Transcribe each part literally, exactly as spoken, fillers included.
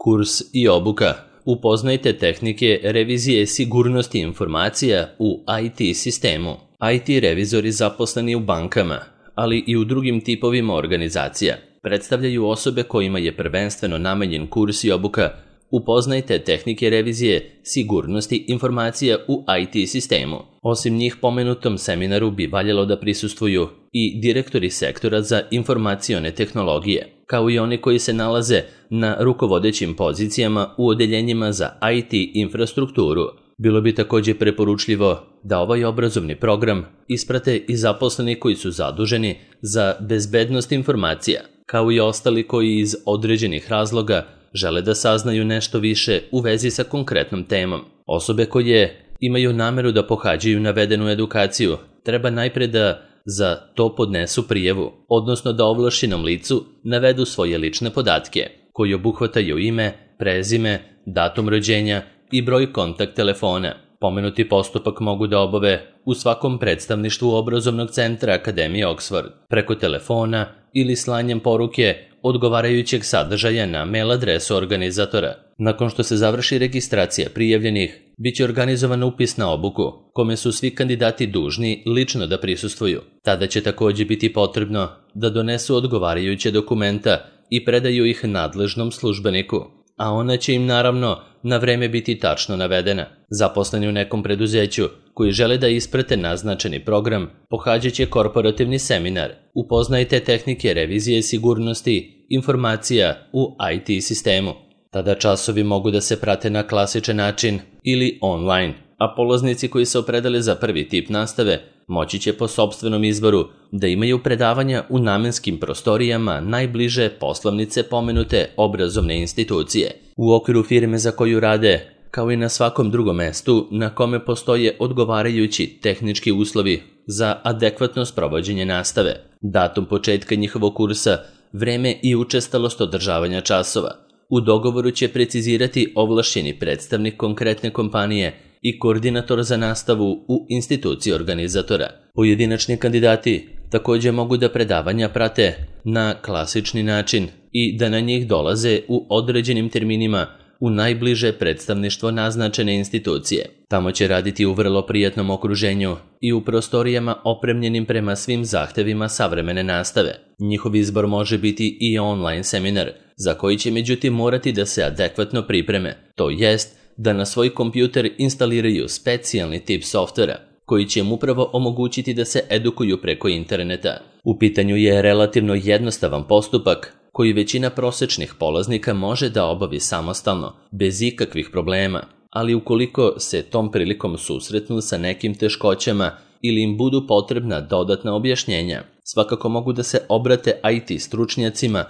Kurs i obuka. Upoznajte tehnike revizije sigurnosti informacija u I T sistemu. I T revizori zaposleni u bankama, ali i u drugim tipovima organizacija, predstavljaju osobe kojima je prvenstveno namenjen kurs i obuka. Upoznajte tehnike revizije sigurnosti informacija u I T sistemu. Osim njih, pomenutom seminaru bi valjalo da prisustvuju i direktori sektora za informacione tehnologije, kao i oni koji se nalaze na rukovodećim pozicijama u odeljenjima za I T infrastrukturu. Bilo bi također preporučljivo da ovaj obrazovni program isprate i zaposleni koji su zaduženi za bezbednost informacija, kao i ostali koji iz određenih razloga žele da saznaju nešto više u vezi sa konkretnom temom. Osobe koje imaju nameru da pohađaju navedenu edukaciju treba najpre da za to podnesu prijavu, odnosno da ovlašćenom licu navedu svoje lične podatke, koji obuhvataju ime, prezime, datum rođenja i broj kontakt telefona. Pomenuti postupak mogu da obave u svakom predstavništvu obrazovnog centra Akademije Oxford, preko telefona ili slanjem poruke odgovarajućeg sadržaja na mail adresu organizatora. Nakon što se završi registracija prijavljenih, bit će organizovan upis na obuku, kome su svi kandidati dužni lično da prisustvuju. Tada će također biti potrebno da donesu odgovarajuće dokumenta i predaju ih nadležnom službeniku, a ona će im naravno na vreme biti tačno navedena. Zaposleni u nekom preduzeću koji žele da isprate naznačeni program pohađat će korporativni seminar. Upoznajte tehnike revizije sigurnosti informacija u I T sistemu. Tada časovi mogu da se prate na klasičan način ili online, a polaznici koji se opredele za prvi tip nastave moći će po sopstvenom izboru da imaju predavanja u namenskim prostorijama najbliže poslovnice pomenute obrazovne institucije. U okviru firme za koju rade, kao i na svakom drugom mestu na kome postoje odgovarajući tehnički uslovi za adekvatno sprovođenje nastave, datum početka njihovog kursa, vreme i učestalost održavanja časova. U dogovoru će precizirati ovlašćeni predstavnik konkretne kompanije i koordinator za nastavu u instituciji organizatora. Pojedinačni kandidati također mogu da predavanja prate na klasični način i da na njih dolaze u određenim terminima u najbliže predstavništvo naznačene institucije. Tamo će raditi u vrlo prijatnom okruženju i u prostorijama opremljenim prema svim zahtevima savremene nastave. Njihov izbor može biti i online seminar, za koji će međutim morati da se adekvatno pripreme, to jest da na svoj kompjuter instaliraju specijalni tip softvera, koji će im upravo omogućiti da se edukuju preko interneta. U pitanju je relativno jednostavan postupak koji većina prosečnih polaznika može da obavi samostalno, bez ikakvih problema, ali ukoliko se tom prilikom susretnu sa nekim teškoćama ili im budu potrebna dodatna objašnjenja, svakako mogu da se obrate I T stručnjacima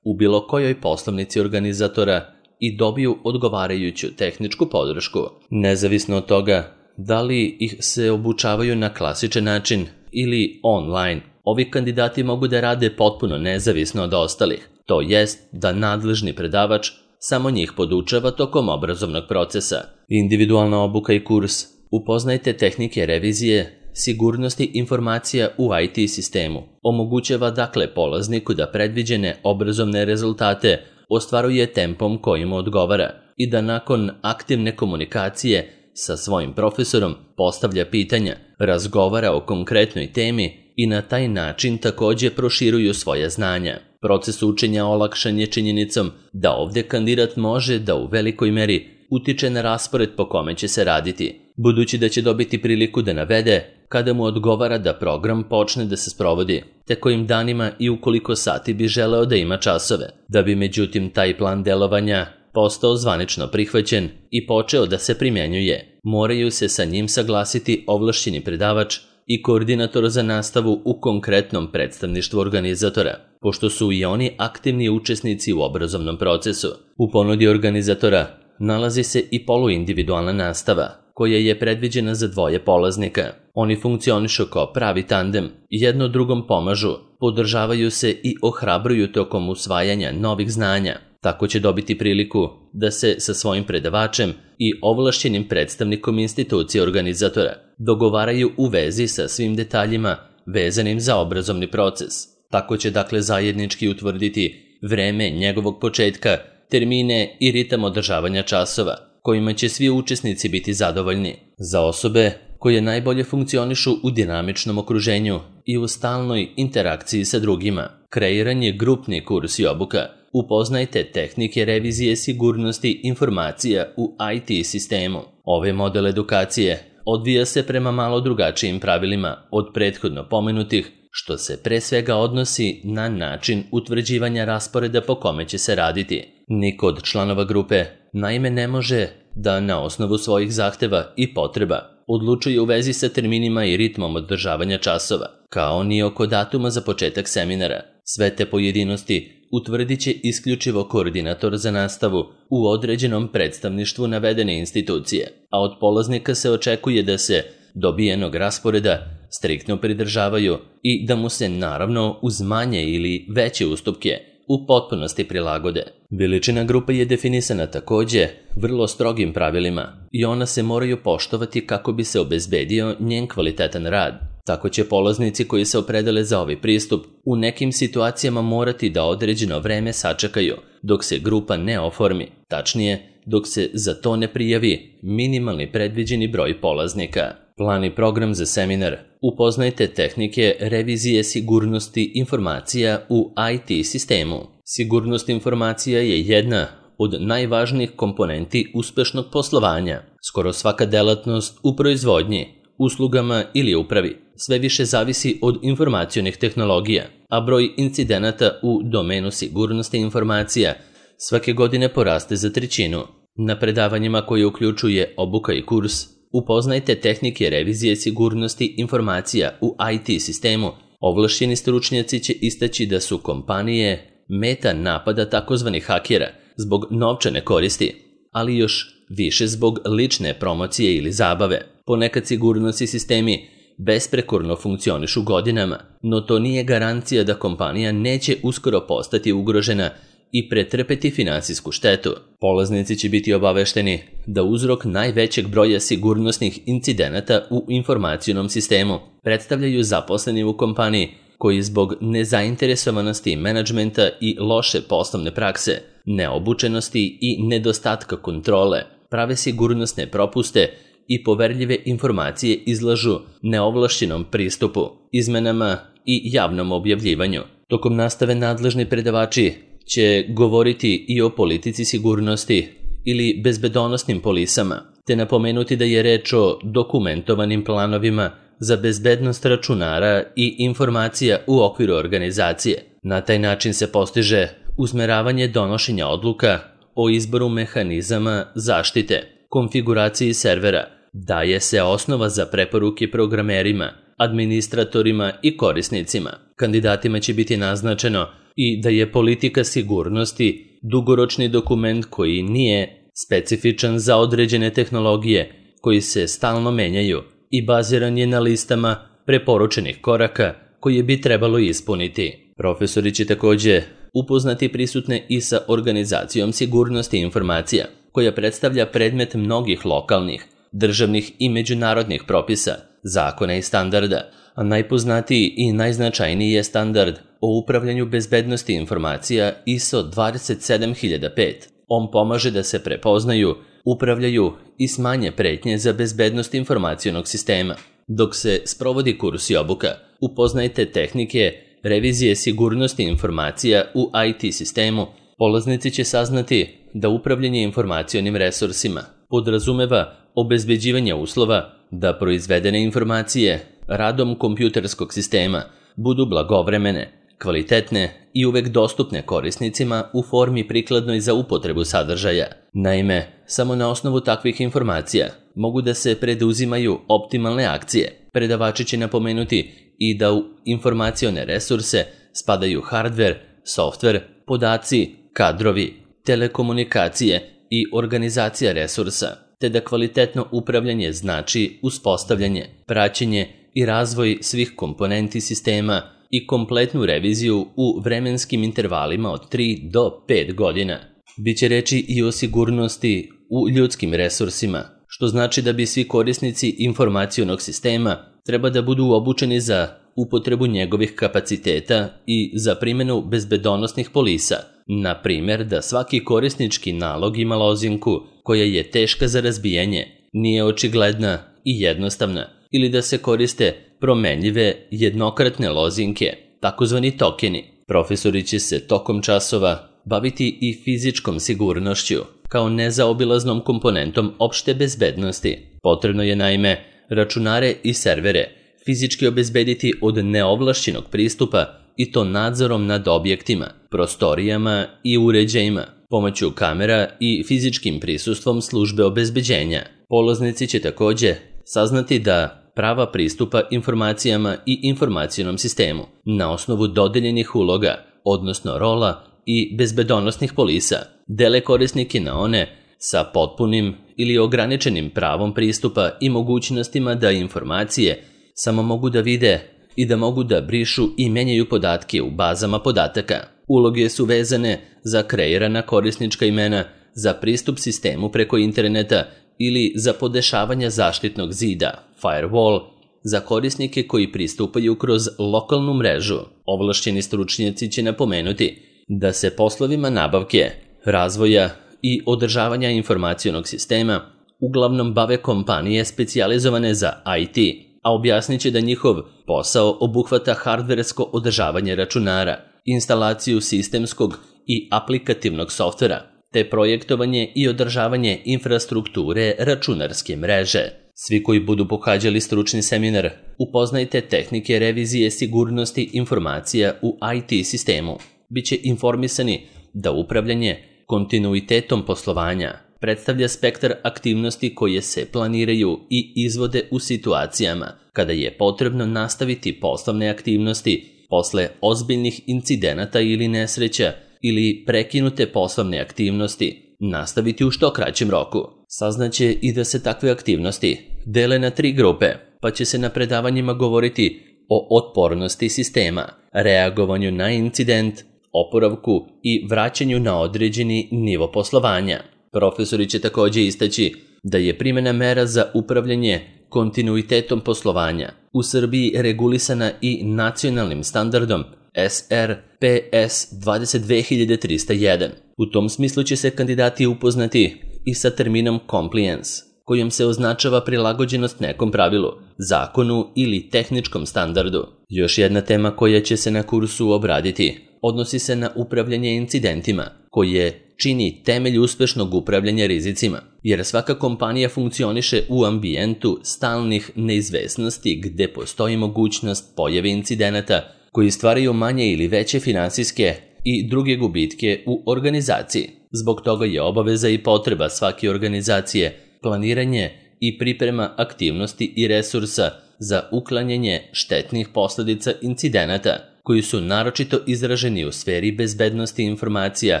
u bilo kojoj poslovnici organizatora i dobiju odgovarajuću tehničku podršku. Nezavisno od toga da li ih se obučavaju na klasičan način ili online, ovi kandidati mogu da rade potpuno nezavisno od ostalih, to jest da nadležni predavač samo njih podučava tokom obrazovnog procesa. Individualna obuka i kurs. Upoznajte tehnike revizije sigurnosti informacija u I T sistemu. Omogućava dakle polazniku da predviđene obrazovne rezultate ostvaruje tempom koji mu odgovara i da nakon aktivne komunikacije sa svojim profesorom postavlja pitanja, razgovara o konkretnoj temi i na taj način također proširuju svoja znanja. Proces učenja olakšan je činjenicom da ovdje kandidat može da u velikoj meri utiče na raspored po kome će se raditi, budući da će dobiti priliku da navede kada mu odgovara da program počne da se sprovodi, te kojim danima i u koliko sati bi želeo da ima časove. Da bi međutim taj plan delovanja postao zvanično prihvaćen i počeo da se primjenjuje, moraju se sa njim saglasiti ovlašćeni predavač i koordinator za nastavu u konkretnom predstavništvu organizatora, pošto su i oni aktivni učesnici u obrazovnom procesu. U ponudi organizatora nalazi se i poluindividualna nastava, koja je predviđena za dvoje polaznika. Oni funkcionišu kao pravi tandem, jedno drugom pomažu, podržavaju se i ohrabruju tokom usvajanja novih znanja. Tako će dobiti priliku da se sa svojim predavačem i ovlašćenim predstavnikom institucije organizatora dogovaraju u vezi sa svim detaljima vezanim za obrazovni proces. Tako će dakle zajednički utvrditi vreme njegovog početka termine i ritam održavanja časova, kojima će svi učesnici biti zadovoljni. Za osobe koje najbolje funkcionišu u dinamičnom okruženju i u stalnoj interakciji sa drugima, kreiran je grupni kurs i obuka. Upoznajte tehnike revizije sigurnosti informacija u I T sistemu. Ovaj model edukacije odvija se prema malo drugačijim pravilima od prethodno pomenutih, što se pre svega odnosi na način utvrđivanja rasporeda po kome će se raditi. Niko od članova grupe naime ne može da na osnovu svojih zahteva i potreba odlučuje u vezi sa terminima i ritmom održavanja časova, kao ni oko datuma za početak seminara. Sve te pojedinosti utvrdit će isključivo koordinator za nastavu u određenom predstavništvu navedene institucije, a od polaznika se očekuje da se dobijenog rasporeda striktno pridržavaju i da mu se naravno uz manje ili veće ustupke u potpunosti prilagode. Veličina grupe je definisana takođe vrlo strogim pravilima i ona se moraju poštovati kako bi se obezbedio njen kvalitetan rad. Tako će polaznici koji se opredele za ovaj pristup u nekim situacijama morati da određeno vreme sačekaju dok se grupa ne oformi, tačnije dok se za to ne prijavi minimalni predviđeni broj polaznika. Plan i program za seminar. Upoznajte tehnike revizije sigurnosti informacija u I T sistemu. Sigurnost informacija je jedna od najvažnijih komponenti uspešnog poslovanja. Skoro svaka delatnost u proizvodnji, uslugama ili upravi sve više zavisi od informacionih tehnologija, a broj incidenata u domenu sigurnosti informacija svake godine poraste za trećinu. Na predavanjima koje uključuje obuka i kurs, upoznajte tehnike revizije sigurnosti informacija u I T sistemu. Ovlašćeni stručnjaci će istaći da su kompanije meta napada takozvanih hakera zbog novčane koristi, ali još više zbog lične promocije ili zabave. Ponekad sigurnosni sistemi besprekorno funkcionišu godinama, no to nije garancija da kompanija neće uskoro postati ugrožena i pretrpeti finansijsku štetu. Polaznici će biti obavešteni da uzrok najvećeg broja sigurnosnih incidenata u informacionom sistemu predstavljaju zaposleni u kompaniji koji zbog nezainteresovanosti menadžmenta i loše poslovne prakse, neobučenosti i nedostatka kontrole prave sigurnosne propuste i poverljive informacije izlažu neovlašćenom pristupu, izmenama i javnom objavljivanju. Tokom nastave nadležni predavači će govoriti i o politici sigurnosti ili bezbedonosnim polisama, te napomenuti da je reč o dokumentovanim planovima za bezbednost računara i informacija u okviru organizacije. Na taj način se postiže usmeravanje donošenja odluka o izboru mehanizama zaštite, konfiguraciji servera, daje se osnova za preporuke programerima, administratorima i korisnicima. Kandidatima će biti naznačeno i da je politika sigurnosti dugoročni dokument koji nije specifičan za određene tehnologije, koji se stalno menjaju i baziran je na listama preporučenih koraka koje bi trebalo ispuniti. Profesori će takođe upoznati prisutne i sa organizacijom sigurnosti informacija, koja predstavlja predmet mnogih lokalnih, državnih i međunarodnih propisa, zakona i standarda, a najpoznatiji i najznačajniji je standard o upravljanju bezbednosti informacija I S O dvadeset sedam hiljada pet. On pomaže da se prepoznaju, upravljaju i smanje pretnje za bezbednost informacionog sistema. Dok se sprovodi kurs i obuka, upoznajte tehnike revizije sigurnosti informacija u I T sistemu. Polaznici će saznati da upravljanje informacionim resursima podrazumeva obezbeđivanje uslova da proizvedene informacije radom kompjuterskog sistema budu blagovremene, kvalitetne i uvek dostupne korisnicima u formi prikladnoj za upotrebu sadržaja. Naime, samo na osnovu takvih informacija mogu da se preduzimaju optimalne akcije. Predavači će napomenuti i da u informacione resurse spadaju hardver, softver, podaci, kadrovi, telekomunikacije i organizacija resursa, te da kvalitetno upravljanje znači uspostavljanje, praćenje i razvoj svih komponenti sistema i kompletnu reviziju u vremenskim intervalima od tri do pet godina. Biće reči i o sigurnosti u ljudskim resursima, što znači da bi svi korisnici informacionog sistema treba da budu obučeni za upotrebu njegovih kapaciteta i za primjenu bezbedonosnih polisa. Na primjer da svaki korisnički nalog ima lozinku koja je teška za razbijanje, nije očigledna i jednostavna, ili da se koriste promenljive jednokratne lozinke, takozvani tokeni. Profesori će se tokom časova baviti i fizičkom sigurnošću, kao nezaobilaznom komponentom opšte bezbednosti. Potrebno je naime računare i servere fizički obezbediti od neovlašćenog pristupa i to nadzorom nad objektima, prostorijama i uređajima, pomoću kamera i fizičkim prisustvom službe obezbeđenja. Polaznici će takođe saznati da prava pristupa informacijama i informacionom sistemu na osnovu dodeljenih uloga, odnosno rola i bezbedonosnih polisa, dele korisnike na one sa potpunim ili ograničenim pravom pristupa i mogućnostima da informacije samo mogu da vide i da mogu da brišu i menjaju podatke u bazama podataka. Uloge su vezane za kreirana korisnička imena, za pristup sistemu preko interneta ili za podešavanja zaštitnog zida, firewall, za korisnike koji pristupaju kroz lokalnu mrežu. Ovlašćeni stručnjaci će napomenuti da se poslovima nabavke, razvoja i održavanja informacionog sistema uglavnom bave kompanije specijalizovane za I T, a objasnit će da njihov posao obuhvata hardversko održavanje računara, instalaciju sistemskog i aplikativnog softvera, te projektovanje i održavanje infrastrukture računarske mreže. Svi koji budu pohađali stručni seminar, upoznajte tehnike revizije sigurnosti informacija u I T sistemu. Biće informisani da upravljanje kontinuitetom poslovanja predstavlja spektar aktivnosti koje se planiraju i izvode u situacijama kada je potrebno nastaviti poslovne aktivnosti posle ozbiljnih incidenata ili nesreća ili prekinute poslovne aktivnosti nastaviti u što kraćem roku. Saznaće i da se takve aktivnosti dele na tri grupe, pa će se na predavanjima govoriti o otpornosti sistema, reagovanju na incident, oporavku i vraćanju na određeni nivo poslovanja. Profesori će takođe istaći da je primjena mera za upravljanje kontinuitetom poslovanja u Srbiji regulisana i nacionalnim standardom S R P S dvadeset dve hiljade trista jedan. U tom smislu će se kandidati upoznati i sa terminom compliance, kojom se označava prilagođenost nekom pravilu, zakonu ili tehničkom standardu. Još jedna tema koja će se na kursu obraditi odnosi se na upravljanje incidentima, koje čini temelj uspešnog upravljanja rizicima, jer svaka kompanija funkcioniše u ambijentu stalnih neizvesnosti gde postoji mogućnost pojave incidenata koji stvaraju manje ili veće finansijske i druge gubitke u organizaciji. Zbog toga je obaveza i potreba svake organizacije planiranje i priprema aktivnosti i resursa za uklanjanje štetnih posledica incidenata koji su naročito izraženi u sferi bezbednosti informacija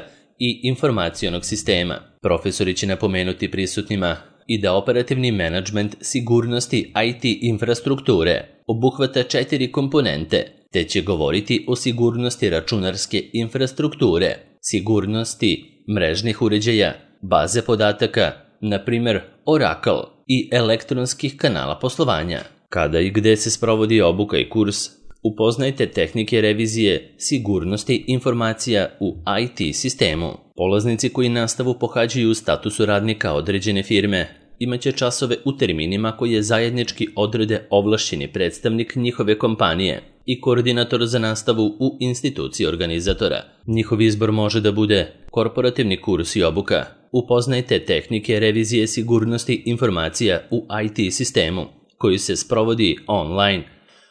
i informacionog sistema. Profesori će napomenuti prisutnima i da operativni menadžment sigurnosti I T infrastrukture obuhvata četiri komponente, te će govoriti o sigurnosti računarske infrastrukture, sigurnosti mrežnih uređaja, baze podataka, na primjer Oracle, i elektronskih kanala poslovanja. Kada i gde se sprovodi obuka i kurs, upoznajte tehnike revizije sigurnosti informacija u I T sistemu. Polaznici koji nastavu pohađaju u statusu radnika određene firme imaće časove u terminima koje zajednički odrede ovlašćeni predstavnik njihove kompanije i koordinator za nastavu u instituciji organizatora. Njihov izbor može da bude korporativni kurs i obuka. Upoznajte tehnike revizije sigurnosti informacija u I T sistemu, koji se sprovodi online,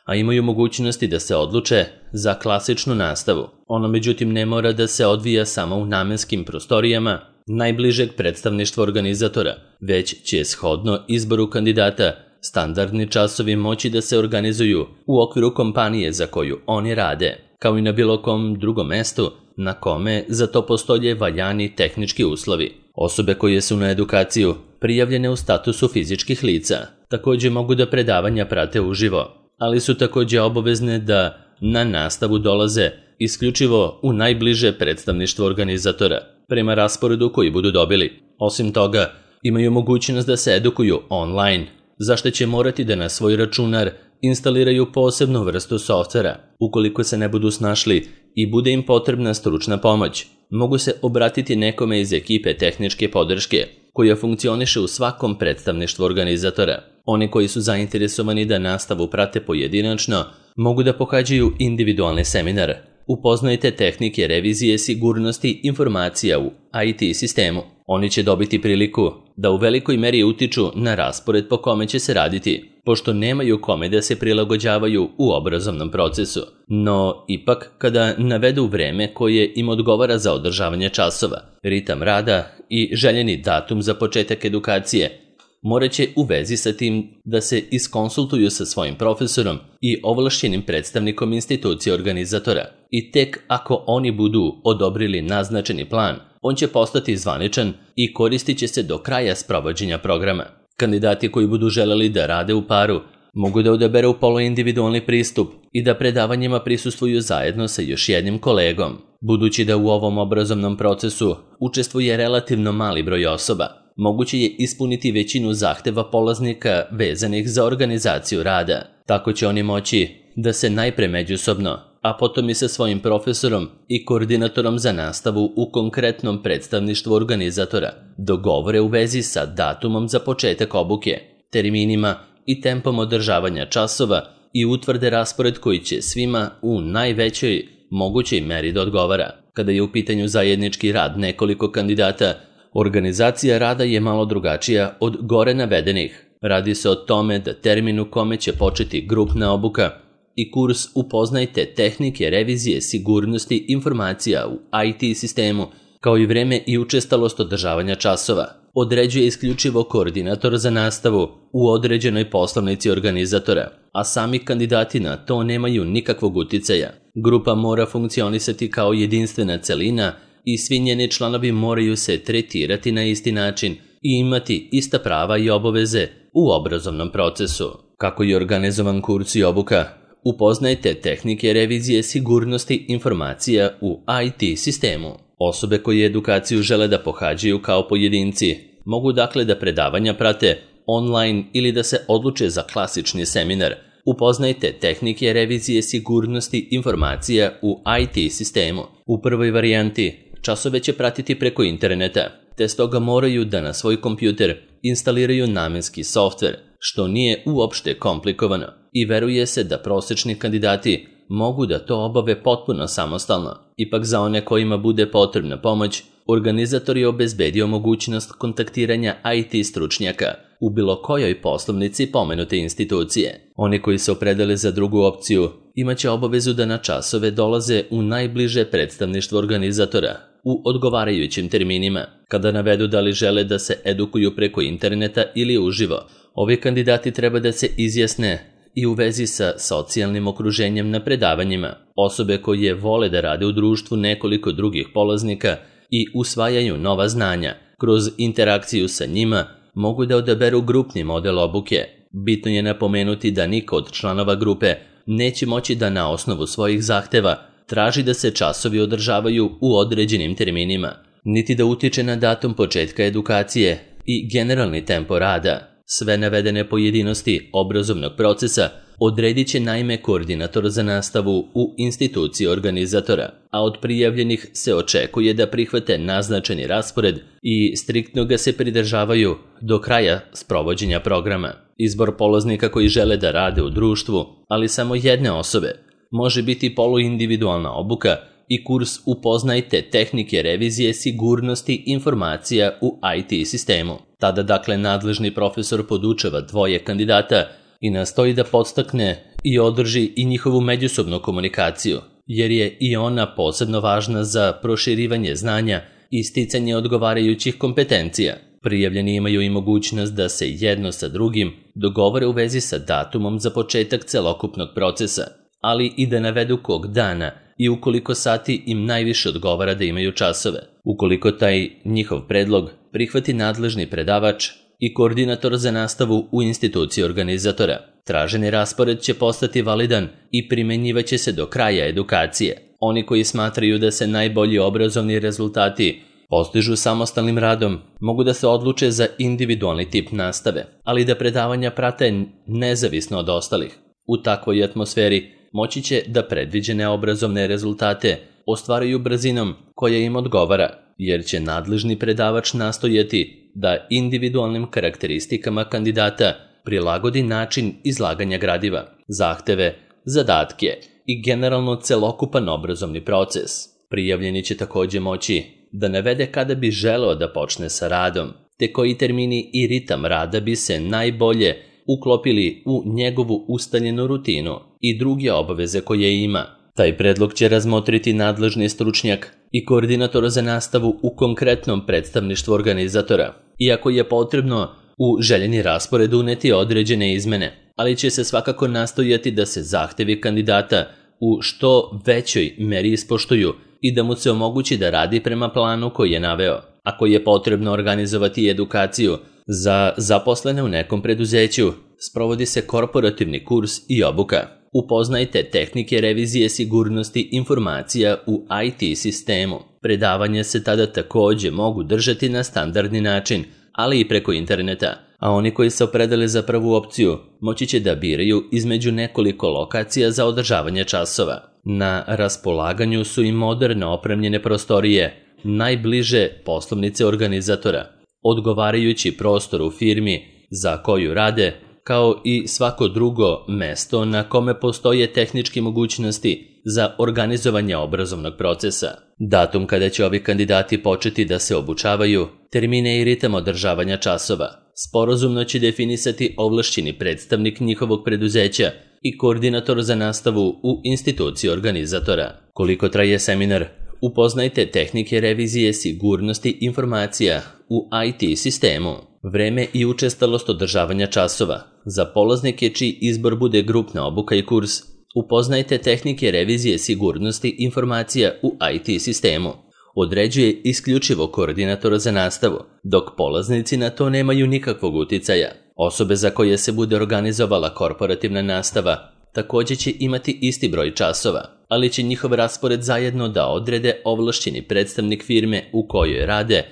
a imaju mogućnosti da se odluče za klasičnu nastavu. Ono međutim ne mora da se odvija samo u namenskim prostorijama najbližeg predstavništva organizatora, već će shodno izboru kandidata standardni časovi moći da se organizuju u okviru kompanije za koju oni rade, kao i na bilo kom drugom mestu na kome za to postoje valjani tehnički uslovi. Osobe koje su na edukaciju prijavljene u statusu fizičkih lica takođe mogu da predavanja prate uživo, ali su takođe obavezne da na nastavu dolaze isključivo u najbliže predstavništvo organizatora, prema rasporedu koji budu dobili. Osim toga, imaju mogućnost da se edukuju online, za što će morati da na svoj računar instaliraju posebnu vrstu softvera. Ukoliko se ne budu snašli i bude im potrebna stručna pomoć, mogu se obratiti nekome iz ekipe tehničke podrške, koja funkcioniše u svakom predstavništvu organizatora. Oni koji su zainteresovani da nastavu prate pojedinačno, mogu da pohađaju individualni seminar. Upoznajte tehnike revizije sigurnosti informacija u I T sistemu. Oni će dobiti priliku da u velikoj meri utiču na raspored po kome će se raditi, pošto nemaju kome da se prilagođavaju u obrazovnom procesu. No, ipak, kada navedu vreme koje im odgovara za održavanje časova, ritam rada i željeni datum za početak edukacije, morat će u vezi sa tim da se iskonsultuju sa svojim profesorom i ovlašćenim predstavnikom institucije organizatora. I tek ako oni budu odobrili naznačeni plan, on će postati zvaničan i koristit će se do kraja sprovođenja programa. Kandidati koji budu želeli da rade u paru mogu da odaberu poluindividualni pristup i da predavanjima prisustvuju zajedno sa još jednim kolegom. Budući da u ovom obrazovnom procesu učestvuje relativno mali broj osoba, moguće je ispuniti većinu zahteva polaznika vezanih za organizaciju rada. Tako će oni moći da se najpre međusobno, a potom i sa svojim profesorom i koordinatorom za nastavu u konkretnom predstavništvu organizatora dogovore u vezi sa datumom za početak obuke, terminima i tempom održavanja časova i utvrde raspored koji će svima u najvećoj mogućoj meri da odgovara. Kada je u pitanju zajednički rad nekoliko kandidata, organizacija rada je malo drugačija od gore navedenih. Radi se o tome da termin u kome će početi grupna obuka i kurs Upoznajte tehnike revizije sigurnosti informacija u I T sistemu, kao i vreme i učestalost održavanja časova, određuje isključivo koordinator za nastavu u određenoj poslovnici organizatora, a sami kandidati na to nemaju nikakvog uticaja. Grupa mora funkcionisati kao jedinstvena celina i svi njeni članovi moraju se tretirati na isti način i imati ista prava i obaveze u obrazovnom procesu. Kako je organizovan kurs i obuka? Upoznajte tehnike revizije sigurnosti informacija u I T sistemu. Osobe koje edukaciju žele da pohađaju kao pojedinci mogu dakle da predavanja prate online ili da se odluče za klasični seminar. Upoznajte tehnike revizije sigurnosti informacija u I T sistemu. U prvoj varijanti časove će pratiti preko interneta, te stoga moraju da na svoj kompjuter instaliraju namenski softver, što nije uopšte komplikovano i veruje se da prosečni kandidati mogu da to obave potpuno samostalno. Ipak za one kojima bude potrebna pomoć, organizator je obezbedio mogućnost kontaktiranja I T stručnjaka u bilo kojoj poslovnici pomenute institucije. Oni koji se opredele za drugu opciju imaće obavezu da na časove dolaze u najbliže predstavništvo organizatora u odgovarajućim terminima. Kada navedu da li žele da se edukuju preko interneta ili uživo, ovi kandidati treba da se izjasne i u vezi sa socijalnim okruženjem na predavanjima. Osobe koje vole da rade u društvu nekoliko drugih polaznika i usvajaju nova znanja kroz interakciju sa njima mogu da odaberu grupni model obuke. Bitno je napomenuti da niko od članova grupe neće moći da na osnovu svojih zahteva traži da se časovi održavaju u određenim terminima, niti da utiče na datum početka edukacije i generalni tempo rada. Sve navedene pojedinosti obrazovnog procesa odredit će naime koordinator za nastavu u instituciji organizatora, a od prijavljenih se očekuje da prihvate naznačeni raspored i striktno ga se pridržavaju do kraja sprovođenja programa. Izbor polaznika koji žele da rade u društvu, ali samo jedne osobe, može biti poluindividualna obuka i kurs Upoznajte tehnike revizije sigurnosti informacija u I T sistemu. Tada dakle nadležni profesor podučava dvoje kandidata i nastoji da podstakne i održi i njihovu međusobnu komunikaciju, jer je i ona posebno važna za proširivanje znanja i sticanje odgovarajućih kompetencija. Prijavljeni imaju i mogućnost da se jedno sa drugim dogovore u vezi sa datumom za početak celokupnog procesa, ali i da navedu kog dana i ukoliko sati im najviše odgovara da imaju časove. Ukoliko taj njihov predlog prihvati nadležni predavač i koordinator za nastavu u instituciji organizatora, traženi raspored će postati validan i primenjivaće se do kraja edukacije. Oni koji smatraju da se najbolji obrazovni rezultati postižu samostalnim radom, mogu da se odluče za individualni tip nastave, ali da predavanja prate nezavisno od ostalih. U takvoj atmosferi moći će da predviđene obrazovne rezultate ostvaruju brzinom koja im odgovara, jer će nadležni predavač nastojati da individualnim karakteristikama kandidata prilagodi način izlaganja gradiva, zahteve, zadatke i generalno celokupan obrazovni proces. Prijavljeni će također moći da navede kada bi želeo da počne sa radom, te koji termini i ritam rada bi se najbolje uklopili u njegovu ustaljenu rutinu i druge obaveze koje ima. Taj predlog će razmotriti nadležni stručnjak i koordinator za nastavu u konkretnom predstavništvu organizatora, iako je potrebno u željeni raspored uneti određene izmene, ali će se svakako nastojati da se zahtevi kandidata u što većoj meri ispoštuju i da mu se omogući da radi prema planu koji je naveo. Ako je potrebno organizovati edukaciju za zaposlene u nekom preduzeću, sprovodi se korporativni kurs i obuka. Upoznajte tehnike revizije sigurnosti informacija u I T sistemu. Predavanje se tada također mogu držati na standardni način, ali i preko interneta, a oni koji se opredele za prvu opciju moći će da biraju između nekoliko lokacija za održavanje časova. Na raspolaganju su i moderne opremljene prostorije, najbliže poslovnice organizatora, odgovarajući prostor u firmi za koju rade, kao i svako drugo mesto na kome postoje tehničke mogućnosti za organizovanje obrazovnog procesa. Datum kada će ovi kandidati početi da se obučavaju, termine i ritam održavanja časova, sporazumno će definisati ovlašćeni predstavnik njihovog preduzeća i koordinator za nastavu u instituciji organizatora. Koliko traje seminar? Upoznajte tehnike revizije sigurnosti informacija u I T sistemu. Vreme i učestalost održavanja časova. Za polaznike čiji izbor bude grupna obuka i kurs, upoznajte tehnike revizije sigurnosti informacija u I T sistemu. Određuje isključivo koordinator za nastavu, dok polaznici na to nemaju nikakvog uticaja. Osobe za koje se bude organizovala korporativna nastava također će imati isti broj časova, ali će njihov raspored zajedno da odrede ovlašćeni predstavnik firme u kojoj rade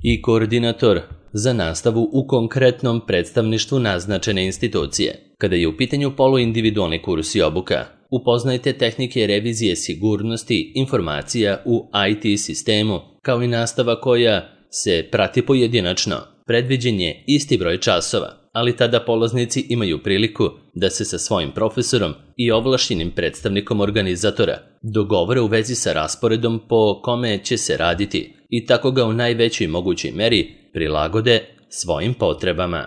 i koordinator za nastavu u konkretnom predstavništvu naznačene institucije. Kada je u pitanju poluindividualni kurs i obuka, upoznajte tehnike revizije sigurnosti informacija u I T sistemu, kao i nastava koja se prati pojedinačno. Predviđen je isti broj časova, ali tada polaznici imaju priliku da se sa svojim profesorom i ovlašćenim predstavnikom organizatora dogovore u vezi sa rasporedom po kome će se raditi i tako ga u najvećoj mogućoj meri prilagode svojim potrebama.